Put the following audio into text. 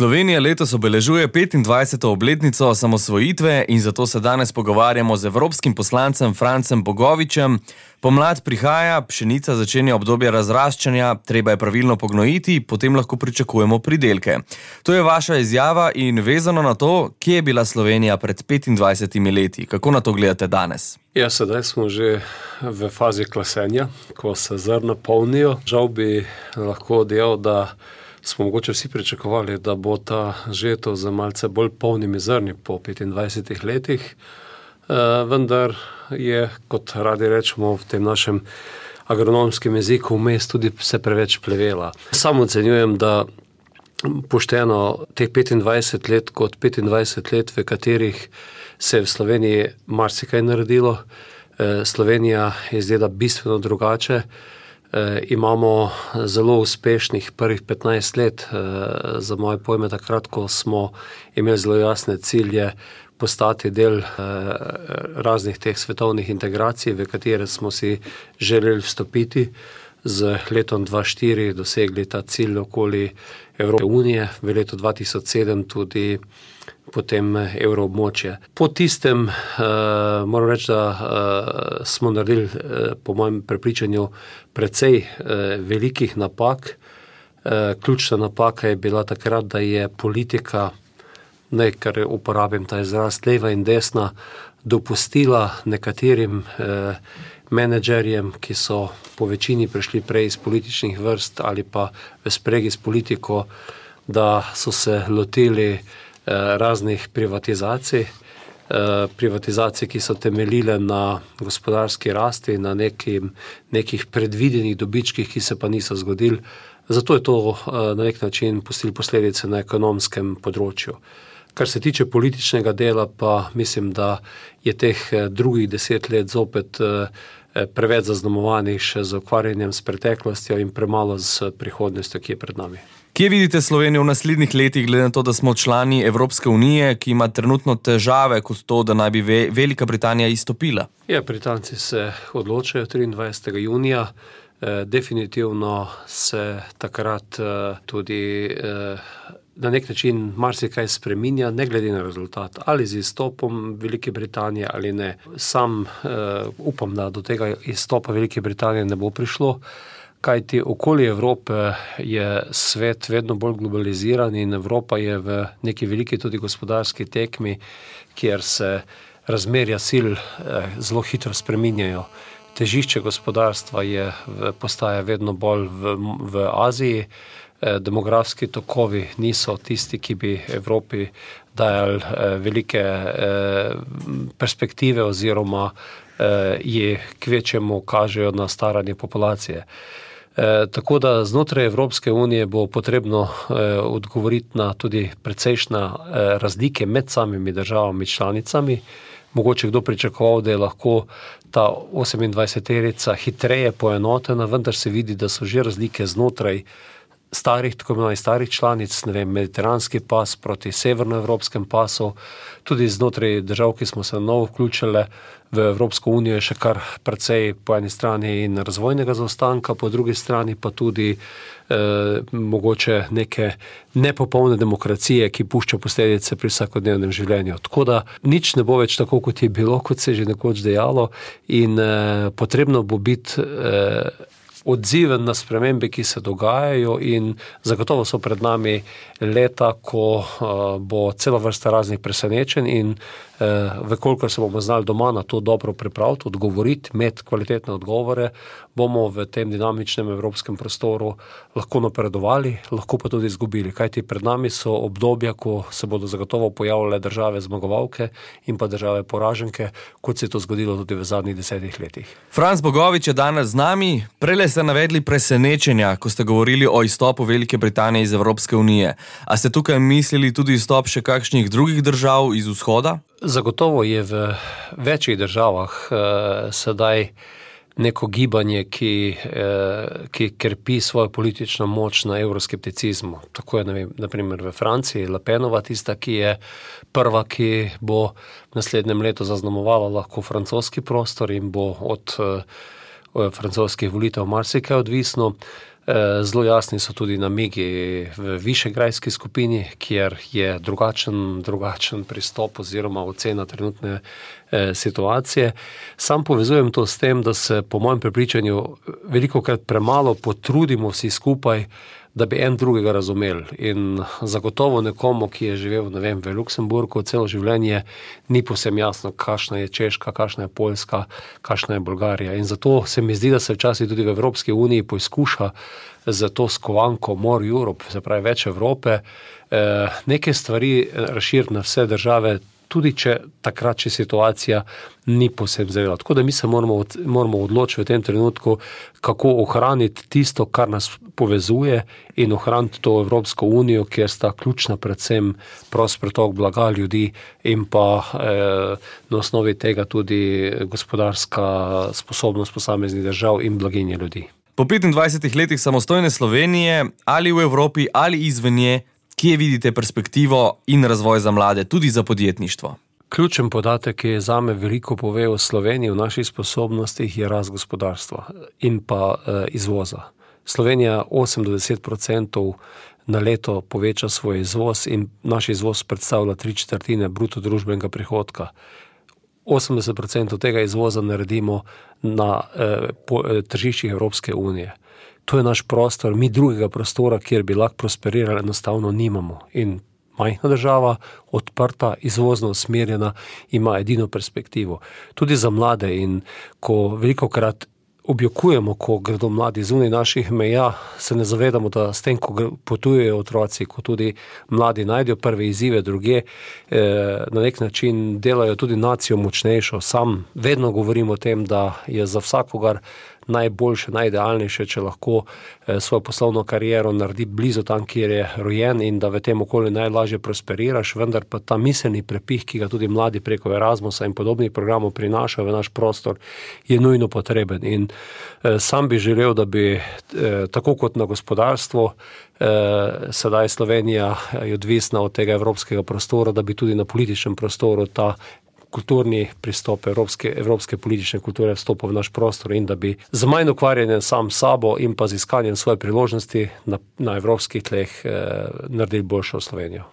Slovenija letos obeležuje 25. obletnico osamosvojitve in zato se danes pogovarjamo z evropskim poslancem Francem Bogovičem. Pomlad prihaja, pšenica začenja obdobje razraščanja, treba je pravilno pognojiti, potem lahko pričakujemo pridelke. To je vaša izjava in vezano na to, kje je bila Slovenija pred 25 leti. Kako na to gledate danes? Ja, sedaj smo že v fazi klasenja, ko se zrna polnijo. Žal bi lahko dejal, da smo mogoče vsi pričakovali, da bo ta žetev z malce bolj polnimi zrni po 25 letih, vendar je, kot radi rečemo v tem našem agronomskem jeziku, vmes tudi se preveč plevela. Sam ocenjujem, da pošteno teh 25 let kot 25 let, v katerih se je v Sloveniji marsikaj naredilo. Slovenija je izgleda bistveno drugače. Imamo zelo uspešnih prvih 15 let, za moje pojme takrat, ko smo imeli zelo jasne cilje postati del raznih teh svetovnih integracij, v katere smo si želeli vstopiti. Z letom 2004 dosegli ta cilj okoli Evropske unije, v letu 2007 tudi potem evroobmočje. Po tistem moram reči, da smo naredili, po mojem prepričanju, precej velikih napak. Ključna napaka je bila takrat, da je politika, kar uporabim ta izraz, leva in desna, dopustila nekaterim menedžerjem, ki so po večini prišli prej iz političnih vrst ali pa v spregi s politiko, da so se lotili raznih privatizacij, ki so temeljile na gospodarski rasti, na nekih predvidenih dobičkih, ki se pa niso zgodili. Zato je to na nek način pustilo posledice na ekonomskem področju. Kar se tiče političnega dela, pa mislim, da je teh drugih 10 let zopet preveč zaznamovanih še z ukvarjanjem s preteklostjo in premalo z prihodnostjo, ki je pred nami. Kje vidite Slovenijo v naslednjih letih, glede na to, da smo člani Evropske unije, ki ima trenutno težave kot to, da naj bi Velika Britanija izstopila? Ja, Britanci se odločajo 23. junija. Definitivno se takrat tudi na nek način marsikaj spreminja, ne glede na rezultat, ali z izstopom Velike Britanije ali ne. Sam upam, da do tega izstopa Velike Britanije ne bo prišlo, kajti okoli Evrope je svet vedno bolj globaliziran in Evropa je v neki veliki tudi gospodarski tekmi, kjer se razmerja sil zelo hitro spreminjajo. Težišče gospodarstva postaja vedno bolj v Aziji. Demografski tokovi niso tisti, ki bi Evropi dajali velike perspektive oziroma ji kvečjemu kažejo na staranje populacije. Tako da znotraj Evropske unije bo potrebno odgovoriti na tudi precejšnje razlike med samimi državami članicami. Mogoče kdo pričakoval, da je lahko ta 28-terica hitreje poenotena, vendar se vidi, da so že razlike znotraj tako imenovanih starih članic, mediteranski pas proti severnoevropskem pasu, tudi znotraj držav, ki smo se na novo vključili v Evropsko unijo, je še kar precej po eni strani in razvojnega zaostanka, po drugi strani pa tudi mogoče neke nepopolne demokracije, ki pušča posledice pri vsakodnevnem življenju. Tako da nič ne bo več tako, kot je bilo, kot se je že nekoč dejalo, in potrebno bo biti odziven na spremembe, ki se dogajajo, in zagotovo so pred nami leta, ko bo cela vrsta raznih presenečenj in vekolikor se bomo znali doma na to dobro pripraviti, odgovoriti, imeti kvalitetne odgovore, bomo v tem dinamičnem evropskem prostoru lahko napredovali, lahko pa tudi izgubili. Kajti pred nami so obdobja, ko se bodo zagotovo pojavljale države zmagovalke in pa države poraženke, kot se je to zgodilo tudi v zadnjih 10 letih. Franc Bogovič je danes z nami. Prele ste navedli presenečenja, ko ste govorili o izstopu Velike Britanije iz Evropske unije. A ste tukaj mislili tudi izstop še kakšnih drugih držav iz vzhoda? Zagotovo je v večjih državah sedaj neko gibanje, ki krpi svojo politično moč na evroskepticizmu. Tako je, naprimer, v Franciji Le Penova tista, ki je prva, ki bo v naslednjem letu zaznamovala lahko francoski prostor in bo od francoskih volitev marsikaj odvisno. Zelo jasni so tudi namigi v višegrajski skupini, kjer je drugačen pristop oziroma ocena trenutne situacije. Sam povezujem to s tem, da se po mojem prepričanju velikokrat premalo potrudimo vsi skupaj, da bi en drugega razumeli. In zagotovo nekomu, ki je živel, ne vem, v Luksemburgu celo življenje, ni povsem jasno, kakšna je Češka, kakšna je Poljska, kakšna je Bolgarija. In zato se mi zdi, da se včasih tudi v Evropski uniji poizkuša za to skovanko More Europe, se pravi več Evrope, neke stvari razširiti na vse države, tudi če takrat, če situacija ni povsem zrela. Tako da mi se moramo odločiti v tem trenutku, kako ohraniti tisto, kar nas povezuje in ohraniti to Evropsko unijo, kjer sta ključna predvsem prost pretok blaga ljudi in pa na osnovi tega tudi gospodarska sposobnost posameznih držav in blaginje ljudi. Po 25 letih samostojne Slovenije, ali v Evropi, ali izven nje, kje vidite perspektivo in razvoj za mlade, tudi za podjetništvo? Ključen podatek, ki je zame veliko pove o Sloveniji, v naših sposobnostih, je rast gospodarstva in pa izvoza. Slovenija 8-10% na leto poveča svoj izvoz in naš izvoz predstavlja 3/4 bruto družbenega prihodka. 80% tega izvoza naredimo na tržiščih Evropske unije. To je naš prostor, mi drugega prostora, kjer bi lahko prosperirali, enostavno nimamo. In majhna država, odprta, izvozno usmerjena, ima edino perspektivo. Tudi za mlade, in ko velikokrat objokujemo, ko gredo mladi zunaj naših meja, se ne zavedamo, da s tem, ko potujejo otroci, ko tudi mladi najdejo prve izzive drugje, na nek način delajo tudi nacijo močnejšo. Sam vedno govorim o tem, da je za vsakogar najboljše, najidealnejše, če lahko svojo poslovno kariero naredi blizu tam, kjer je rojen, in da v tem okolju najlažje prosperiraš, vendar pa ta miselni prepih, ki ga tudi mladi preko Erasmusa in podobnih programov prinašajo v naš prostor, je nujno potreben. In sam bi želel, da bi tako kot na gospodarstvo, sedaj Slovenija je odvisna od tega evropskega prostora, da bi tudi na političnem prostoru ta kulturni pristop evropske politične kulture vstopil v naš prostor in da bi z manj ukvarjanjem sam sabo in pa z iskanjem svoje priložnosti na evropskih tleh naredili boljšo Slovenijo.